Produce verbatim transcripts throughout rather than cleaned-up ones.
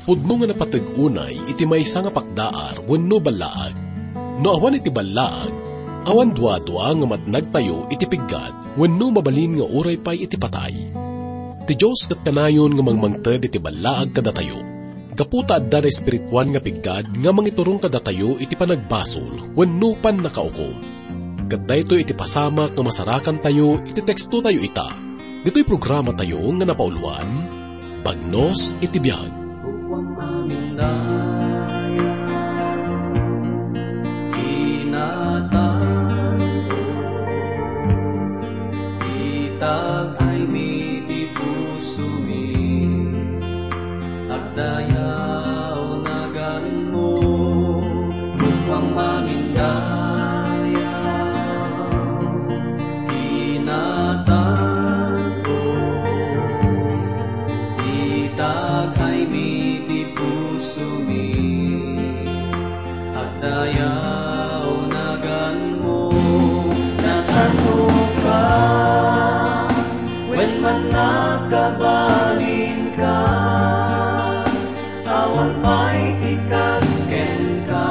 Pudno nga napateg unay iti maysa nga pakdaar wenno ballaag. No awan iti ballaag, awan duadua nga matnagtayo iti piggad wenno mabalin nga uray pay iti patay. Ti Dios ket kanayon nga mangmangted iti ballaag kadatayo, gapu ta adda naespirituan nga piggad nga mangiturong kadatayo iti panagbasol wenno pannakaukom. Ket daytoy iti pasamak nga masarakantayo iti tekstotayo ita. Ditoy programatayo nga napauloan, Bagnos iti Biag. Ugwang mamindaya, inatan ko, itag ay miti pusomi. Agdayaw naganmo, ugwang mamindaya, inatan ko, itag ay miti pusomi. Agdayaw naganmo, natanok ka, wen man nakabalin ka, awan pay ti kas kenka,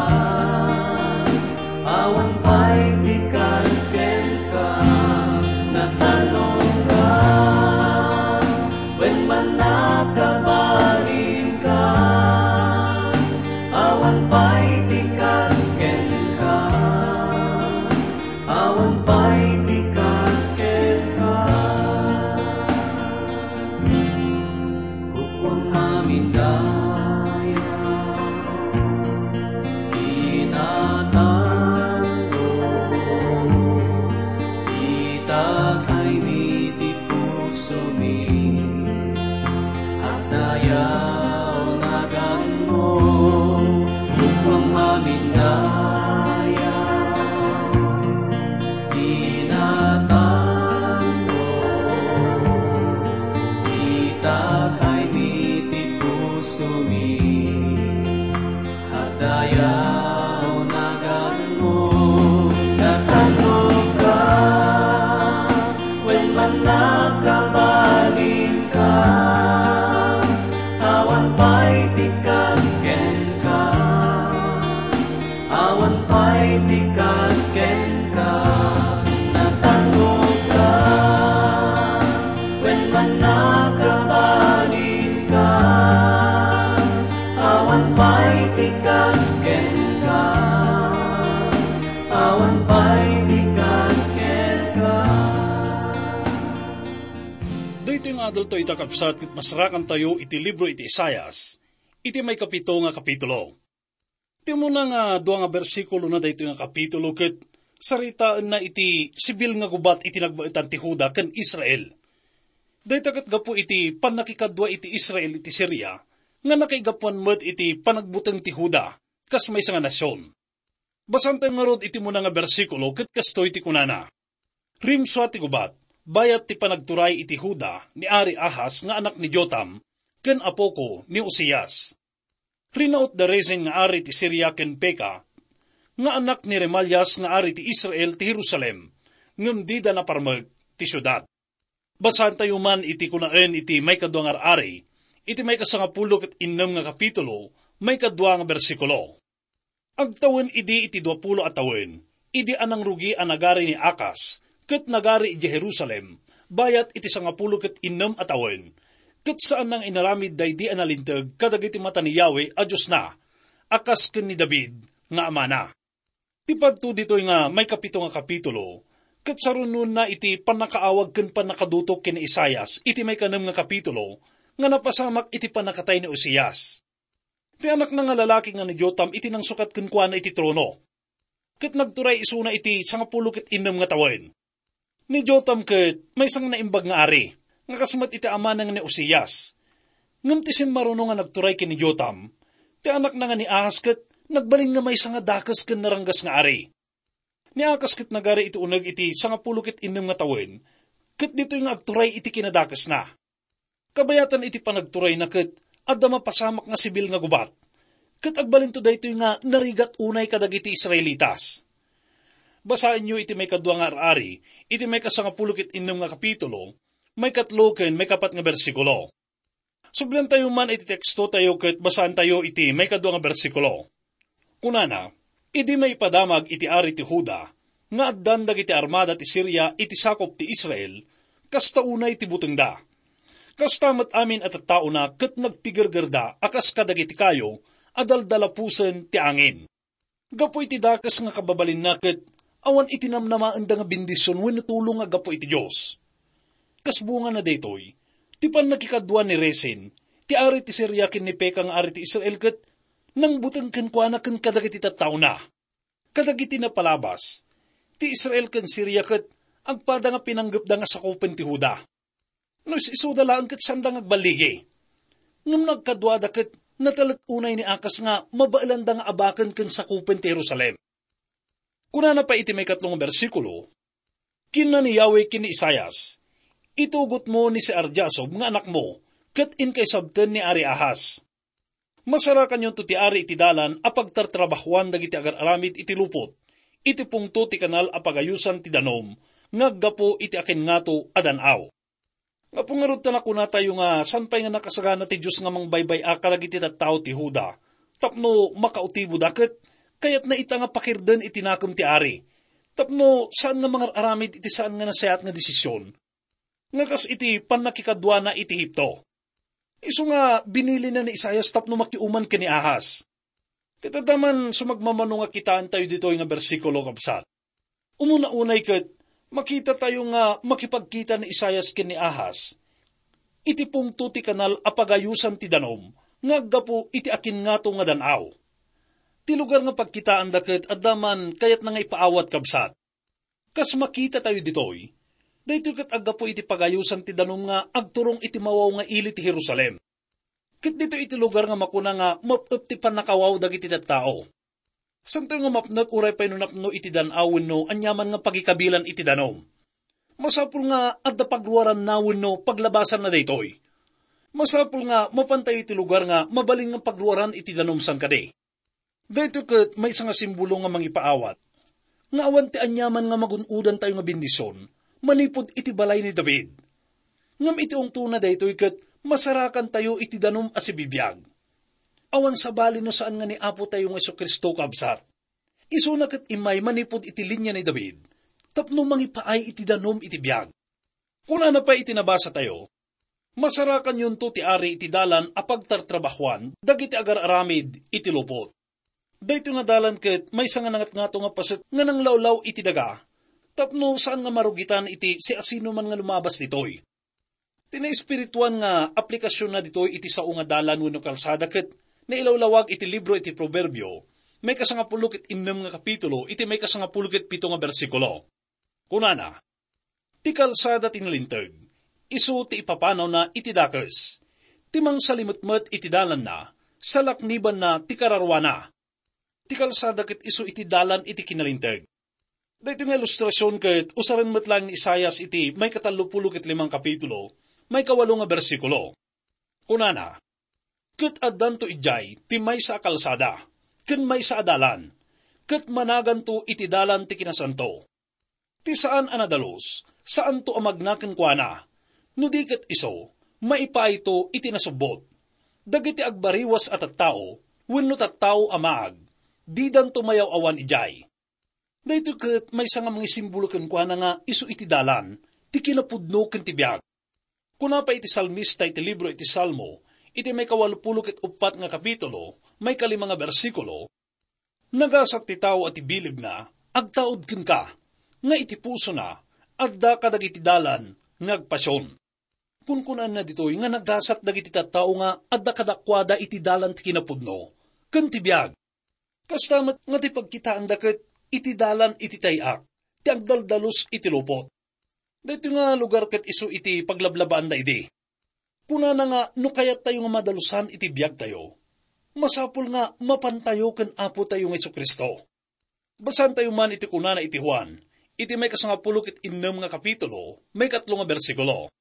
awan pay ti kas kenka, natanok ka, wen man nakabalin ka, awan pay ti kas kenka, awan pay ti kas kenka. Ugwang mamindaya, inatan ko, itag ay miti pusomi. Agdayaw naganmo, ugwang mamindaya, inatan ko, itag ay miti pusomi. Agdayaw naganmo, natanok ka, wen man nakabalin ka, awan pay ti kas kenka, awan pay ti kas kenka, natanok ka, wen man nakabalin ka, awan pay ti kas kenka, awan pay ti kas kenka. Daytoy nga adaltayo ita, kabsat, ket masarakantayo iti libro iti Isaias, iti maikapito nga kapitulo. Ti umuna nga dua nga bersikulo na daytoy nga kapitulo ket saritaenna iti sibil nga gubat iti nagbaetan ti Juda ken Israel. Dayta ket gapu iti pannakikadua iti Israel iti Siria nga nakaigapuan met iti panagbuteng ti Juda kas maysa nga nasion. Basaantayo ngarud iti umuna nga bersikulo ket kastoy ti kunana, "Rimsua ti gubat, bayat ti panagturay iti Juda ni Ari Ahaz nga anak ni Jotam ken apoko ni Uzias. Rinaut da Rezin nga ari ti Siria ken Peka nga anak ni Remalias nga ari ti Israel ti Jerusalem, ngem dida naparmek ti siudad." Basaantayo man iti kunaen iti maikadua nga ar-ari, iti maikasangapulo ket innem nga kapitulo, maikadua nga bersikulo. Agtawen idi iti duapulo a tawen, idi a nangrugi a nagari ni Acaz, ket nagari idiay Jerusalem, bayat iti sangapulo ket innem a tawen, ket saanna nga inaramid daydi a nalinteg kadagiti mata ni Yahweh a Diosna, a kas ken ni David nga amana. Ti padto ditoy nga maikapito nga kapitulo, ket sarunoenna iti pannakaawag ken pannakadutok ken ni Isaias iti maikanem nga kapitulo nga napasamak iti pannakatay ni Uzias. Ti anakna nga lalaki nga ni Jotam iti nangsukat kenkuana iti trono, ket nagturay isuna iti sangapulo ket innem nga tawen. Ni Jotam ket maysa nga naimbag nga ari, nga kas met iti amana nga ni Uzias. Ngem ti simmaruno nga nagturay ken ni Jotam, ti anakna nga ni Ahaz ket nagbalin nga maysa nga dakes ken naranggas nga ari. Ni Acaz ket nagari iti uneg iti sangapulo ket innem nga tawen, ket ditoy nga agturay iti kinadakesna. Kabayatan iti panagturayna ket adda mapasamak nga sibil nga gubat, ket agbalinto daytoy nga narigat unay kadagiti Israelitas. Basaenyo iti maikadua nga ar-ari, iti maikasangapulo ket innem nga kapitulo, maikatlo ken maikapat nga bersikulo. Subliantayo man iti tekstotayo ket basaentayo iti maikadua nga bersikulo. Kunana, "Idi maipadamag iti ari ti Juda nga addan dagiti armada ti Siria iti sakup ti Israel, kasta unay ti butengda. Kasta met amin a tattaona ket nagpigergerda a kas kadagiti kayo a daldalapusen ti angin." Gapu iti dakes nga kababalinna ket awan iti namnamaenda nga bendision wenno tulong nga gapu iti Dios. Kas bungana daytoy, ti pannakikadua ni Rezin, ti ari ti Siria ken ni Peka nga ari ti Israel ket nangbuteng kenkuana ken kadagiti tattaona. Kadagiti napalabas, ti Israel ken Siria ket agpada nga pinanggepda nga sakupen ti Juda. No is-isuda laeng ket saanda nga agballigi. Ngem no agkaduada ket natalek unay ni Akas nga mabaelanda nga abaken ken sakupen ti Jerusalem. Kunana pay iti maikatlo nga bersikulo, "Kinuna ni Yahweh ken ni Isaias, 'Itugotmo ni Sear-Jasub nga anakmo, ket inkaisabten ni Ari Ahaz. Masarakanyonto ti ari iti dalan a pagtartrabahuan dagiti agar-aramid iti lupot, iti pungto ti kanal a pagayosan ti danum nga aggapu iti akinngato a dan-aw.'" Gapu ngarud ta nakunatayo nga saan pay nga nakasagana ti Dios nga mangbaybay-a kadagiti tattao ti Juda tapno makautiboda ket kayatna ita nga pakirden iti nakem ti ari tapno saan nga mangar-aramid iti saan nga nasayaat nga desisyon, nga kas iti pannakikaduana iti Egipto. Isu nga binilina ni Isaias tapno makiuman ken ni Ahaz. Ket adda man sumagmamano nga kitaentayo ditoy nga bersikulo, kabsat. Umuna unay ket, makitatayo nga makipagkita ni Isaias ken ni Ahaz iti pungto ti kanal a pagayosan ti danum nga aggapu iti akinngato nga dan-aw. Ti lugar nga pagkitaanda ket adda man kayatna nga ipaawat, kabsat. Kas makitatayo ditoy, daytoy ket aggapu iti pagayosan ti danum nga agturong iti mawaw nga ili ti Jerusalem. Ket ditoy iti lugar nga makuna nga map-ep ti pannakawaw dagiti tattao. Saantayo nga mapnek uray pay no napno iti dan-aw wenno aniaman nga pagikabilan iti danum. Masapul nga adda pagruaranna wenno paglabasanna daytoy. Masapul nga mapantayo iti lugar nga mabalin nga pagruaran iti danum, saan kadi? Daytoy ket maysa nga simbolo nga mangipaawat nga awan ti aniaman nga magun-odantayo nga bendision manipud iti balay ni David. Ngem iti ungtona daytoy ket masarakantayo iti danum a sibibiag. Awan sabali no saan nga ni Apotayo nga Jesu-Cristo, kabsat. Isuna ket immay manipud iti linia ni David tapno mangipaay iti danum iti biag. Kunana pay iti nabasatayo, "Masarakanyonto ti ari iti dalan a pagtartrabahuan dagiti agar-aramid iti lupot." Daytoy nga dalan ket maysa nga nangatngato nga paset nga nanglawlaw iti daga tapno saan nga marugitan iti siasinoman nga lumabas ditoy. Ti naespirituan nga aplikasionna ditoy iti sao nga dalan wenno kalsada ket nailawlawag iti libro iti Proverbio, maikasangapulo ket innem nga kapitulo, iti maikasangapulo ket pito nga bersikulo. Kunana, "Ti kalsada ti nalinteg, isu ti ipapanawna iti dakes. Ti mangsalimetmet iti dalanna, salaknibanna ti kararuana. Ti kalsada ket isu iti dalan iti kinalinteg." Daytoy nga ilustrasion ket usaren met laeng ni Isaias iti maikatallopulo ket limang kapitulo, maikawalo nga bersikulo. Kunana, "Ket addanto idiay ti maysa a kalsada ken maysa a dalan, ket managanto iti dalan ti kinasanto. Ti saan a nadalus, saanto a magna kenkuana, no di ket isu, maipaayto iti nasubbot. Dagiti agbariwas a tattao wenno tattao a maag, didanto mayaw-awan idiay." Daytoy ket maysa nga mangisimbolo kenkuana nga isu iti dalan ti kinapudno ken ti biag. Kuna pay iti salmista iti libro iti Salmo, iti maikawalupulo ket uppat nga kapitulo, maikalima nga bersikulo, "Nagasat ti tao a ti bilegna agtaud kenka, nga iti pusona adda kadagiti dalan nga agpasion." Kunkunana ditoy nga nagasat dagiti tattao nga adda kadakuada iti dalan ti kinapudno ken ti biag. Kasta met nga ti pagkitaanda ket iti dalan iti tay-ak ti agdaldalus iti lupot. Daytoy nga lugar ket isu iti paglablabaanda idi. Kunana nga no kayattayo nga madalusan iti biagtayo, masapul nga mapantayo ken Apotayo nga Jesu-Cristo. Basaentayo man iti kunana iti Juan, iti maikasangapulo ket innem nga kapitulo, maikatlo nga bersikulo.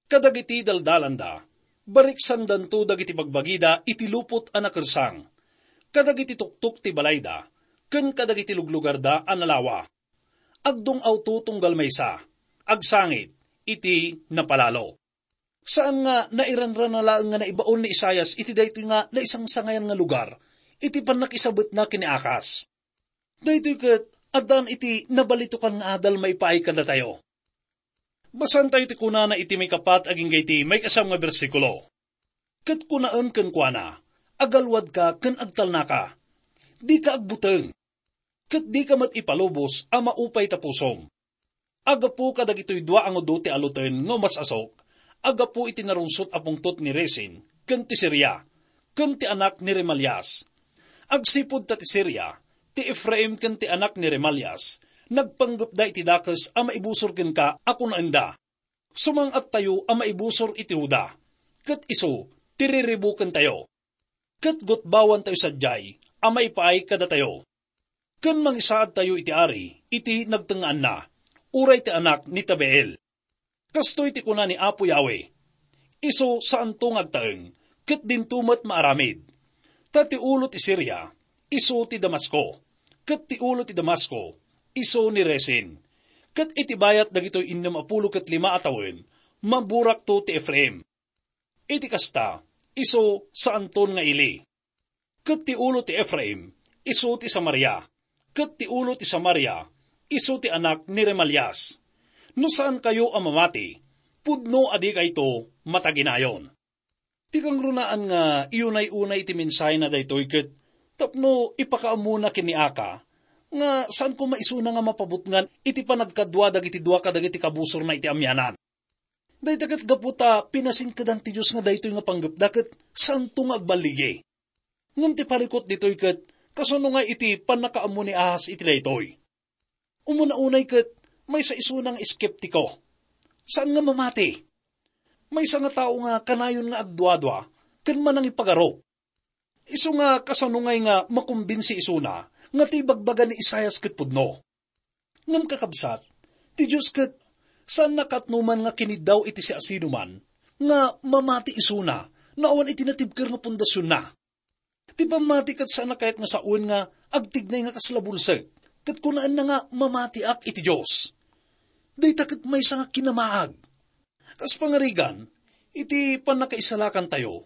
"Kadagiti daldalanda, bariksandanto dagiti bagbagida iti lupot a nakersang. Kadagiti tuktok ti balayda, ken kadagiti luglugarda a nalawa. Agdung-awto tunggal maysa, agsangit iti napalalo." Saan nga nairanrana laeng nga naibaon ni Isaias iti daytoy nga naisangsangayan nga lugar iti pannakisabetna ken ni Akas. Daytoy ket addan iti nabalitokan nga adal maipaay kadatayo. Basaentayo ti kunana iti maikapat agingga iti maikasam nga bersikulo. Ket kunaen kenkuana, "Agalwadka ken agtalnaka. Dika agbuteng, ket dika met ipalubos a maupay ta pusom. Aggapu kadagitoy dua a ngudo ti aluten nga umas-asok, aggapu iti narungsot a pungtot ni Rezin ken ti Siria, ken ti anak ni Remalias. Agsipud ta ti Siria, ti Efraim ken ti anak ni Remalias, nagpanggepda iti dakes a maibusor kenka a kunaenda, 'Sumang-attayo a maibusor iti Juda, ket isu ti riribukentayo, ket gutbawantayo sadiay a maipaay kadatayo, ken mangisaadtayo iti ari iti nagtengngaanna, uray ti anak ni Tabeel.' Kastoy ti kuna ni Apo Yahweh, 'Isu saanto nga agtaeng, ket dinto met maaramid.' Ta ti ulo ti Siria, isu ti Damasco, ket ti ulo ti Damasco, isu ni Rezin. Ket iti bayat dagitoy innem a pulo ket lima a tawen, maburakto ti Efraim. Iti kasta, isu saanton nga ili. Ket ti ulo ti Efraim, isu ti Samaria. Ket ti ulo ti Samaria, isu ti anak ni Remalias. No saankayo a mamati, pudno a dikayto mataginayon." Ti kangrunaan nga iyunay-unay ti mensahena daytoy ket tapno ipakaammona ken ni Aka nga saan koma isuna nga mapabutngan iti panagkadua dagiti dua kadagiti kabusorna iti amianan. Dayta ket gapu ta pinasingkedan ti Dios nga daytoy nga panggepda ket saanto nga agballigi. Ngem ti parikut ditoy ket kasano nga iti pannakaammo ni Ahaz iti daytoy? Umuna unay ket maysa isuna nga eskeptiko. Saan nga mamati. Maysa nga tao nga kanayon nga agduadua ken manangipagarup. Isu nga kasano ngay nga makumbinsi isuna nga ti ibagbaga ni Isaias ket pudno. Ngem kakabsat, ti Dios ket saanna katnoman nga kiniddaw iti siasinoman nga mamati isuna no awan iti natibker nga pundasionna. Ti pammati ket saanna kayat nga sawen nga agtignay nga kasla bulsek, ket kunaenna nga mamatiak iti Dios. Dayta ket maysa nga kinamaag. Kas pangarigan, iti pannakaisalakantayo,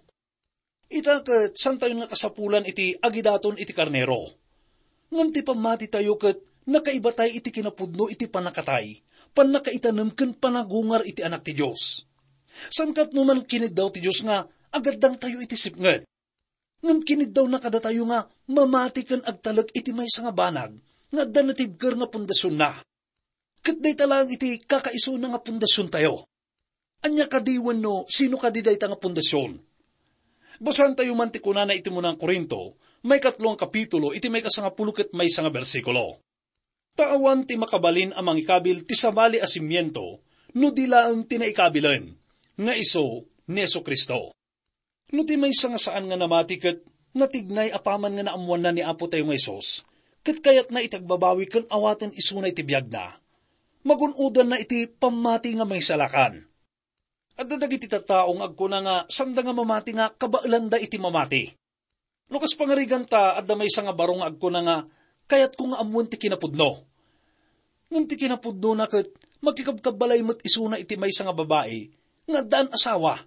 ita ket saantayon nga kasapulan iti agidaton iti karnero. Ngem ti pammatitayo ket nakaibatayo iti kinapudno iti pannakatay, pannakaitanem ken panagungar iti Anak ti Dios. Saan katnoman kiniddaw ti Dios nga agaddangtayo iti sipnget. Ngem kiniddawna kadatayo nga mamati ken agtalek iti maysa nga banag nga adda natibker nga pundasionna. Ket dayta laeng iti kakaisuna nga pundasiontayo. Ania kadi wenno sino kadi dayta nga pundasion? Basaentayo man ti kunana iti Munang Corinto, maikatlo nga kapitulo, iti maikasangapulo ket maysa nga bersikulo. Ta awan ti makabalin a mangikabil ti sabali a simiento no di laeng ti naikabilen, nga isu ni Jesu-Cristo. No ti maysa nga saan nga namati ket natignay apaman nga naammoanna ni Apo tayo nga Jesus, ket kayatna iti agbabawi ken awaten isuna iti biagna, magun-odanna iti pammati nga mangisalakan. Adda dagiti tattao nga agkuna nga sanda nga mamati nga kabaelanda iti mamati. No kas pangariganta, adda maysa nga baro nga agkuna nga, "Kayatko nga ammoen ti kinapudno." Ngem ti kinapudnona ket makikabkabbalay met isuna iti maysa nga babai nga addaan asawa.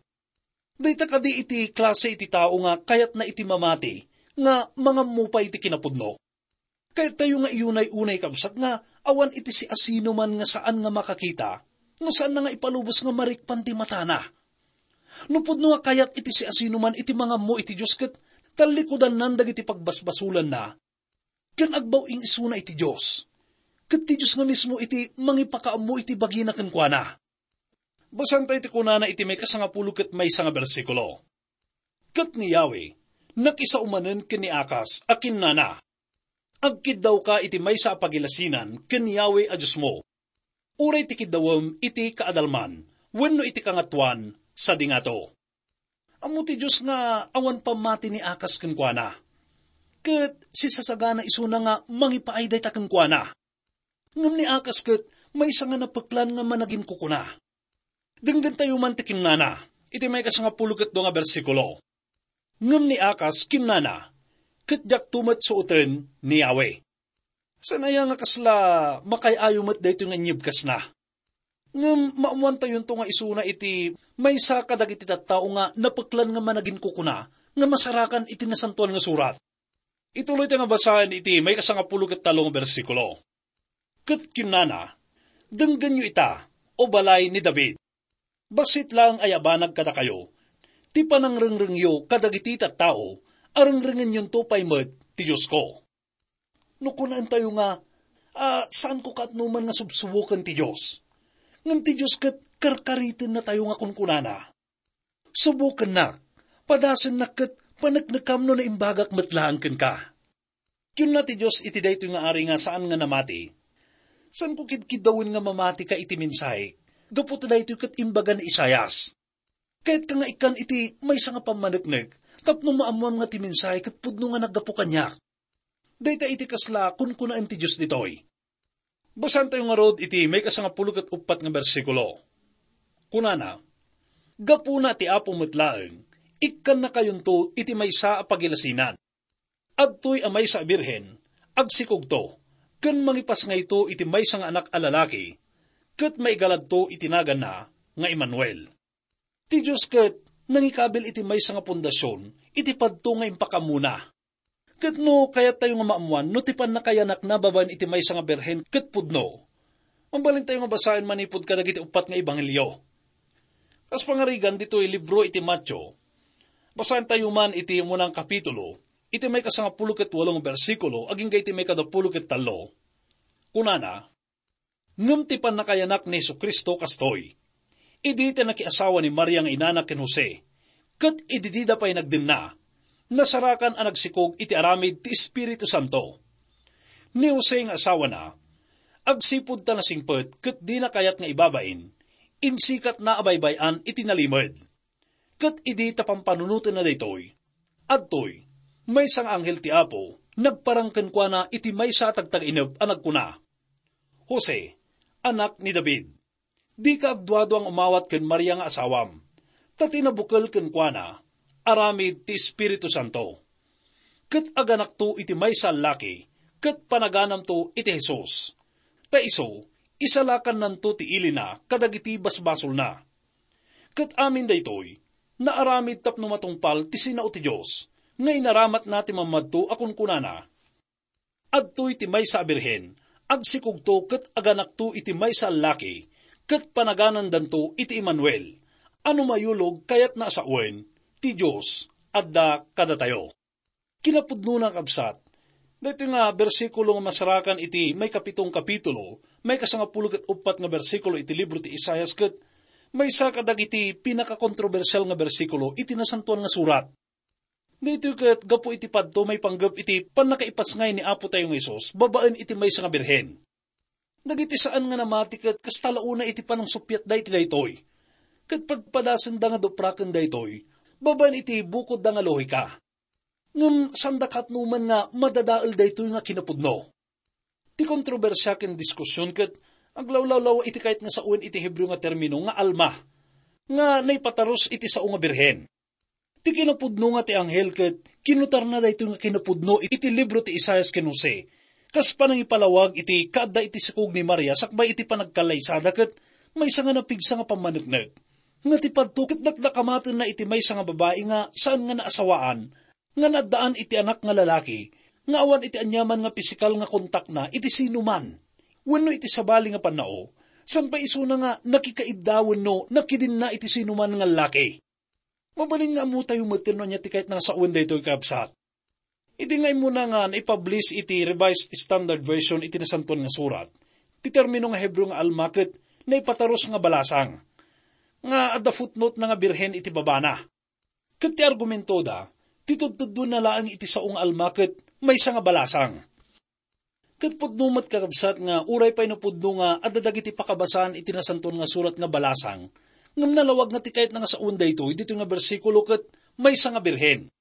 Dayta kadi iti klase iti tao nga kayatna iti mamati nga mangammo pay iti kinapudno? Kayattayo nga iyunay-unay, kabsat, nga awan iti siasinoman nga saan nga makakita no saanna nga ipalubos nga marikpan ti matana. No pudno nga kayat iti siasinoman iti mangammo iti Dios ket tallikudannan dagiti pagbasbasolanna, ken agbaw-ing isuna iti Dios. Ket ti Dios nga mismo iti mangipakaammo iti bagina kenkuana. Basaentayo ti kunana iti maikasangapulo ket maysa nga bersikulo. Ket ni Yahweh nakisao manen ken ni Akas a kinnana, "Agkiddawka iti maysa a pagilasinan ken Yahweh a Diosmo, uray ti kiddawem iti kaadalman wenno iti kangatoan sadi ngato." Ammo ti Dios nga awan pammati ni Akas kenkuana, ket sisasagana isuna nga mangipaay dayta kenkuana. Ngem ni Akas ket maysa nga napeklan nga managinkukuna. Denggentayo man ti kinnana iti maikasangapulo ket dua nga bersikulo. Ngem ni Akas kinnana, "Ket diakto met suoten ni Yahweh." Saan aya nga kasla makaay-ayo met daytoy nga inyebkasna? Ngem maammoantayonto nga isuna iti maysa kadagiti tattao nga napeklan nga managinkukuna nga masarakan iti Nasantoan nga Surat. Ituloy ta nga basaen iti maikasangapulo ket tallo nga bersikulo. Ket kinunana, "Denggenyo ita, O balay ni David. Bassit laeng a yabanag kadakayo ti panangrengrengyo kadagiti tattao a rengrengenyonto pay met ti Diosko." No kunaentayo nga, "A, saanko kaatnoman nga subsuboken ti Dios," ngem ti Dios ket karkaritennatayo nga kunkunana, "Subokennak, padasennak ket paneknekam no naimbagak met laeng kenka." Kinuna ti Dios iti daytoy nga ari nga saan nga namati, "Saanko kidkiddawen nga mamatika iti mensahe, gapu ta daytoy ket imbaga ni Isaias. Kayatka nga ikkan iti maysa nga pammaneknek, tapno maammoam nga ti mensahe ket pudno nga naggapu kaniak." Dayta iti kasla kunkunaen ti Dios ditoy. Basaentayo ngarud iti maikasangapulo ket uppat nga bersikulo. Kunana, "Gapuna ti Apo met laeng, ikkannakayonto iti maysa a pagilasinan. Adtoy a maysa a birhen, agsikogto, ken mangipasngayto iti maysa nga anak a lalaki, ket maigaladto iti naganna nga Emmanuel." Ti Dios ket nangikabil iti maysa nga pundasion iti padto nga impakammona. Ket no kayattayo nga maammoan no ti pannakayanakna babaen iti maysa nga birhen ket pudno, mabalintayo nga basaen manipud kadagiti uppat nga ebanghelio. Kas pangarigan ditoy libro iti Mateo, basaentayo man iti umuna nga kapitulo, iti maikasangapulo ket walo nga bersikulo agingga iti maikadapulo ket tallo. Kunana, "Ngem ti pannakayanak ni Jesu-Cristo kastoy: idi ti nakiasawa ni Maria nga inana ken Jose, ket idi dida pay nagdenna, nasarakan a nagsikog iti aramid ti Espiritu Santo. Ni Jose nga asawana, agsipud ta nasingpet ket dina kayat nga ibabain, insikatna a baybay-an iti nalimed. Ket idi ta pampanunotenna daytoy, adtoy, maysa nga anghel ti Apo nagparang kenkuana iti maysa a tagtagainep a nagkuna, 'Jose, anak ni David, dika agduadua nga umawat ken Maria nga asawam, ta ti nabukel kenkuana aramid ti Espiritu Santo. Ket aganakto iti maysa a laki, ket panaganamto iti Jesus. Ta isu, isalakannanto ti ilina kadagiti basbasolna.' Ket amin daytoy, naaramid tapno matungpal ti sinao ti Dios, nga inaramatna ti mammadto a kunkunana, 'Adtoy ti maysa a birhen, agsikogto ket aganakto iti maysa a laki, ket panaganandanto iti Emmanuel,' a no mayulog kayatna a sawen, ti Dios adda kadatayo. Kinapudnona, kabsat, daytoy nga bersikulo nga masarakan iti maikapitong kapitulo, maikasangapulo ket uppat nga bersikulo iti libro ti Isaias ket maysa kadagiti pinakakontrobersial nga bersikulo iti Nasantoan nga Surat. Daytoy ket gapu iti padto maipanggep iti pannakaipasngay ni Apotayo nga Jesus babaen iti maysa nga birhen. Dagiti saan nga namati ket kasta la unay iti panangsuppiatda iti daytoy. Ket padpadasenda nga dupraken daytoy babaen iti bukodda nga lohika. Ngem saanda kaatnoman nga madadael daytoy nga kinapudno. Ti kontrobersia ken diskusion ket aglawlawlaw iti kayat nga sawen iti Hebreo nga termino nga alma, nga naipatarus iti sao nga birhen. Ti kinapudno nga ti anghel ket kinutarna daytoy nga kinapudno iti libro ti Isaias ken Jose, kas panangipalawag iti kaadda iti sikog ni Maria sakbay iti panagkallaysada ket maysa nga napigsa nga pammaneknek. Nga ti padto ket dakdakamatenna iti maysa nga babai nga saan nga naasawaan, nga naaddaan iti anak nga lalaki, nga awan iti aniaman nga pisikal nga kontakna iti sinuman wenno iti sabali nga pannao, saan pay isuna nga nakikaidda wenno nakidinna iti sinuman nga lallaki. Mabalin nga ammotayo metten no ania ti kayat nga sawen daytoy, kabsat. Idi nga immuna nga naipublish iti Revised Standard Version iti Nasantoan nga Surat, ti termino nga Hebreo nga alma ket naipatarus nga balasang, nga adda footnote na nga birhen iti babana. Ket ti argumentoda, ti tudtudduenna laeng iti sao nga alma ket maysa nga balasang. Ket pudno met, kakabsat, nga uray pay no pudno nga adda dagiti pakabasaan iti Nasantoan nga Surat nga balasang, ngem nalawag nga ti kayatna nga sawen daytoy ditoy nga bersikulo ket maysa nga birhen.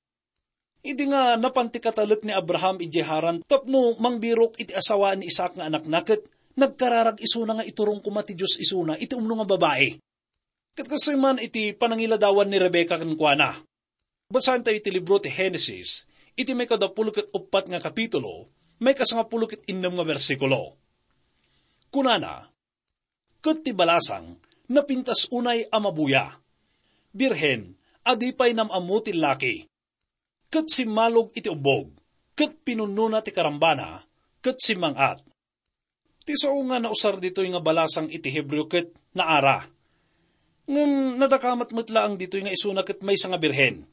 Idi nga napan ti katalek ni Abraham idiay Haran tapno mangbirok iti asawaan ni Isaac nga anakna, ket nagkararag isuna nga iturong koma ti Dios isuna iti umno nga babai. Ket kastoy man iti panangiladawan ni Rebecca kenkuana. Basaentayo iti libro ti Genesis, iti maikadapulo ket uppat nga kapitulo, maikasangapulo ket innem nga bersikulo. Kunana, ket ti balasang napintas unay a mabuya. Birhen, a di pay nam-ammo ti laki. Ket simmalog iti ubbog, ket pinunnona ti karambana, ket simmang-at. Ti sao nga nausar ditoy nga balasang iti Hebreo ket naara. Ngem nadakamat met laeng ditoy nga isuna ket maysa nga birhen.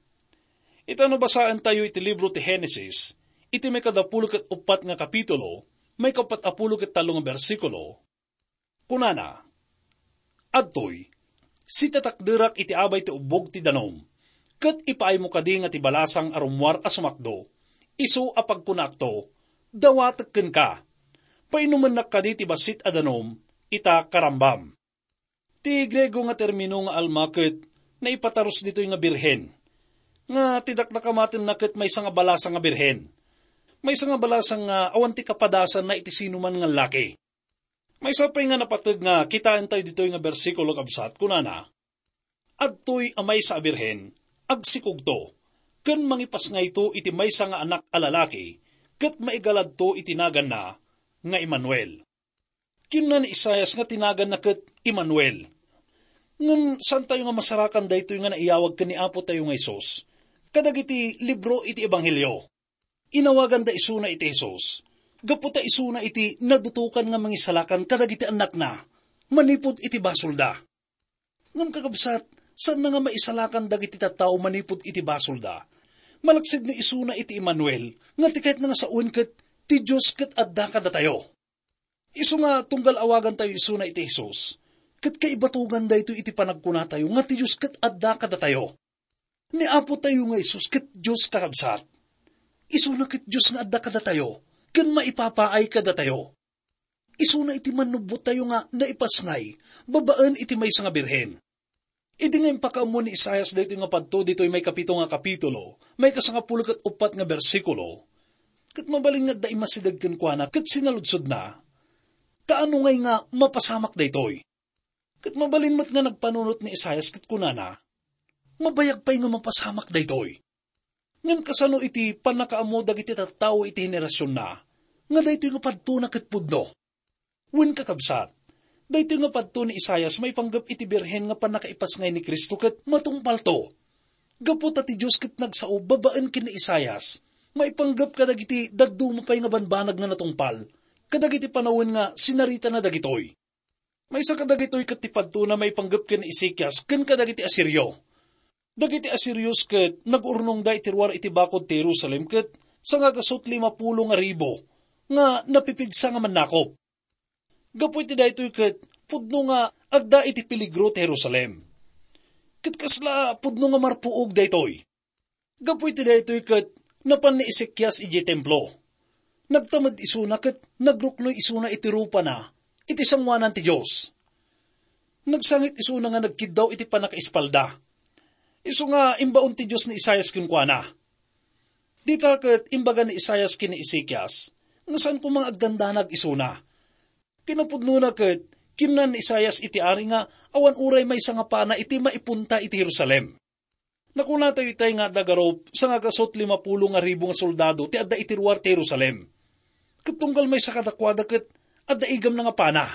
Ita no basaentayo iti libro ti Genesis, iti maikadapulo ket uppat nga kapitulo, maikapat a pulo ket tallo nga bersikulo, kunana, "Adtoy, sitatakderak iti abay ti ubbog ti danum, ket ipaaymo kadi nga ti balasang a rummuar a sumakdo, isu a pagkunaakto, dawatek kenka. Painumennak kadi ti bassit a danum, ita karambam." Ti Griego nga termino nga alma ket naipatarus ditoy nga birhen, nga ti dakdakamatenna ket maysa nga balasang nga birhen. Maysa nga balasang nga awan ti kapadasanna iti sinuman nga laki. Maysa pay nga napateg nga kitaentayo ditoy nga bersikulo, kabsat, kunana, "Adtoy a maysa a birhen, agsikogto, ken mangipasngayto iti maysa nga anak a lalaki, ket maigaladto iti naganna nga Emmanuel." Kinuna ni Isaias nga ti naganna ket Emmanuel. Ngem saantayo nga masarakan daytoy nga naiyawag ken ni Apotayo nga Jesus kadagiti libro iti Ebanghelio. Inawaganda isuna iti Jesus, gapu ta isuna iti nadutokan nga mangisalakan kadagiti annakna manipud iti basolda. Ngem, kakabsat, saanna nga maisalakan dagiti tattao manipud iti basolda, malaksid no isuna iti Emmanuel, nga ti kayatna nga sawen ket ti Dios ket adda kadatayo. Isu nga tunggal awagantayo isuna iti Jesus, ket kaibatugan daytoy iti panagkunatayo nga ti Dios ket adda kadatayo. Ni Apotayo nga Jesus ket Dios, kakabsat. Isuna ket Dios nga adda kadatayo, ken maipapaay kadatayo. Isuna iti mannubbottayo nga naipasngay babaen iti maysa nga birhen. Idi nga impakaammo ni Isaias daytoy nga padto ditoy maikapito nga kapitulo, maikasangapulo ket uppat nga bersikulo, ket mabalin nga adda immasideg kenkuana ket sinaludsodna, "Kaano ngay nga mapasamak daytoy?" Ket mabalin met nga nagpanunot ni Isaias ket kunana, "Mabayag pay nga mapasamak daytoy." Ngem kasano iti pannakaammo dagiti tattao iti henerasionna nga daytoy nga padtona ket pudno? Wen, kakabsat, daytoy nga padto ni Isaias maipanggep iti birhen nga pannakaipasngay ni Cristo ket matungpalto. Gapu ta ti Dios ket nagsao babaen ken ni Isaias maipanggep kadagiti dadduma pay nga banbanag nga natungpal kadagiti panawen nga sinaritana dagitoy. Maysa kadagitoy ket ti padtona maipanggep ken ni Ezekias ken kadagiti Asirio. Dagiti Asirios ket nagurnongda iti ruar iti bakod ti Jerusalem ket sangagasut limapulo nga ribu nga napipigsa nga mannakop. Gapu iti daytoy ket pudno nga adda iti peligro ti Jerusalem. Ket kasla pudno nga marpuog daytoy. Gapu iti daytoy ket napan ni Ezekias idiay templo. Nagtamed isuna ket nagruknoy isuna iti rupana iti sangoanan ti Dios. Nagsangit isuna nga nagkiddaw iti pannakaispalda. Isu nga imbaon ti Dios ni Isaias kenkuana. Dita ket imbaga ni Isaias ken ni Ezekias nga saan koma nga agdandanag isuna. Kinapudnona ket kinuna ni Isaias iti ari nga awan uray maysa nga pana iti maipunta iti Jerusalem. Nakunatayo itay nga adda garup sangagasut limapulo nga ribu nga soldado ti adda iti ruar ti Jerusalem. Ket tunggal maysa kadakuada ket adda igamna nga pana.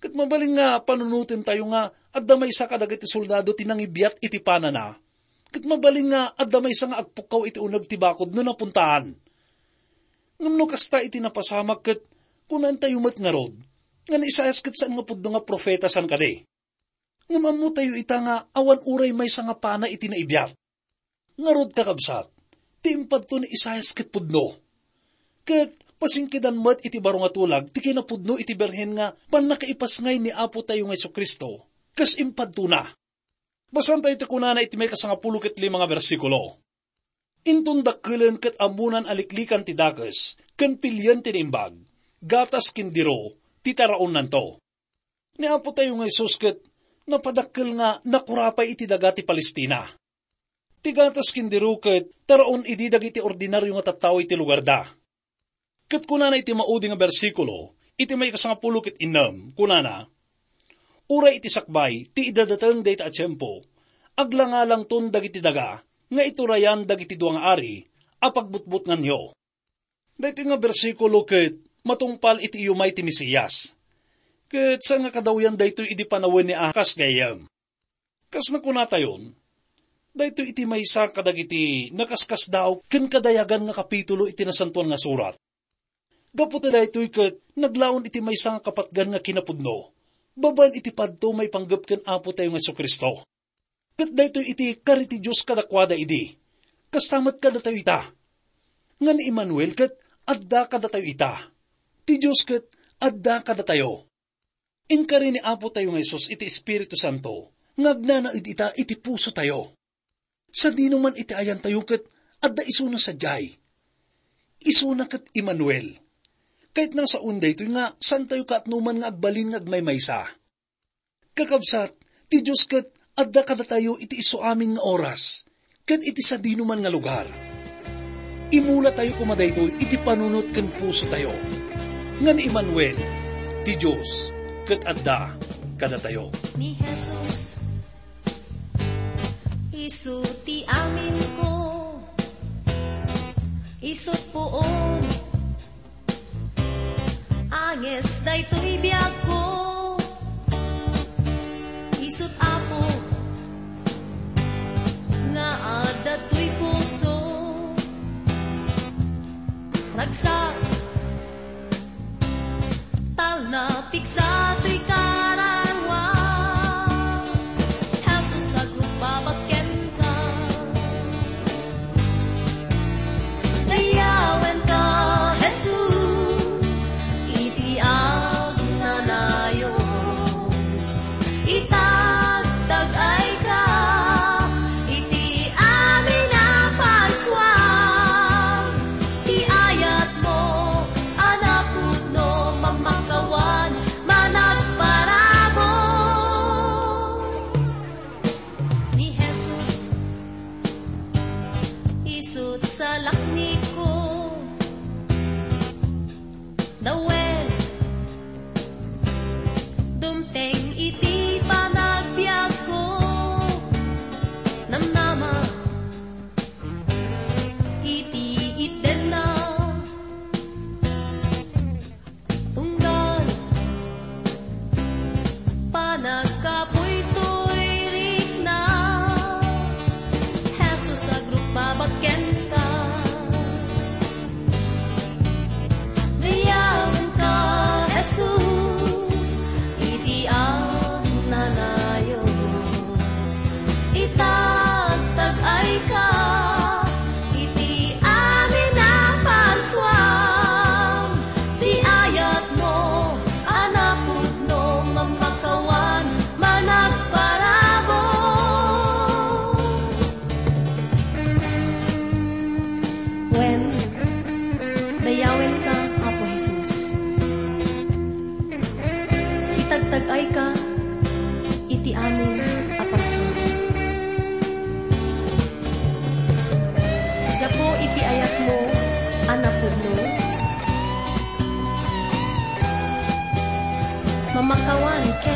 Ket mabalin nga panunotentayo nga adda maysa kadagiti soldado ti nangibiat iti panana. Ket mabalin nga adda maysa nga agpukkaw iti uneg ti bakod no napuntaan. Ngem no kasta iti napasamak ket kunaentayo met ngarud nga ni Isaias ket saan nga pudno nga profeta saan kadi. Ngem ammotayo ita nga awan uray maysa nga pana iti naibiat. Ngarud, kakabsat, ti impadto ni Isaias ket pudno. Ket pasingkedan met iti baro nga tulag ti kinapudno iti birhen nga pannakaipasngay ni Apotayo nga Jesu-Cristo, kas impadtona. Basaentayo ti kunana iti maikasangapulo ket lima nga bersikulo, "Inton dakkelen ket ammonan a liklikan ti dakes ken pilien ti naimbag, gatas ken diro ti taraonnanto." Ni Apotayo nga Jesus ket napadakkel nga nakurapay iti daga ti Palestina. Ti gatas ken diro ket taraon idi dagiti ordinario nga tattao iti lugarda. Ket kunana iti maudi nga bersikulo, iti maikasangapulo ket innem, kunana, "Uray iti sakbay ti idadateng dayta a tiempo, aglangalangton dagiti daga nga iturayan dagiti dua nga ari a pagbutbutnganyo." Daytoy nga bersikulo ket matungpal iti iyumay ti Mesias. Ket saan nga kadawyan daytoy idi panawen ni Ahaz, gayyem? Kas nakunatayon, daytoy iti maysa kadagiti nakaskasdaaw ken kadayagan nga kapitulo iti Nasantoan nga Surat. Gapu ta daytoy ket naglaon iti maysa nga kapatgan nga kinapudno, babaen iti padto maipanggep ken Apotayo nga Jesu-Cristo. Ket daytoy iti kari ti Dios kadakuada idi. Kasta met kadatayo ita. Nga ni Emmanuel ket adda kadatayo ita. Ti Dios ket adda kadatayo. Inkari ni Apotayo nga Jesus iti Espiritu Santo nga agnanaed ita iti pusotayo. Sadino man iti ayantayo ket adda isuna sadiay. Isuna ket Emmanuel. Kayatna nga saoen daytoy nga saantayo kaatnoman nga agbalin nga agmaymaysa. Kakabsat, ti Dios ket adda kadatayo iti isu amin nga oras, ken iti sadinoman nga lugar. Imulatayo koma daytoy iti panunot ken pusotayo. Nga ni Emmanuel, ti Dios ket adda kadatayo. Ni Jesus, isu ti aminko, isu't puon, anges daytoy biagko. Isu't Apo nga adda toy puso. Ragsak, talna, pigsa toy kararua. Jesus, agrugbabag kenka. Dayawenka, Jesus, iti agnanayon. Itagtagayka iti amin a parsua. Ti ayatmo a napudno, mamakawan, managparabur. Ni Jesus, isu't salaknibko. Dawen, dumteng iti panagbiagko. Namnama iti itdenna. Tunggal panagkapuy toy rikna, Jesus, agrugbabag kenka. Dayawenka, Jesus, iti agnanayon. Itagtagayka iti amin a parsua. Ti ayatmo a napudno, mamakawan, managparabur. Wen, dayawenka, Apo Jesus. Itagtagayka iti amin a parsua. Gapu iti ayatmo a napudno, mamakawan ken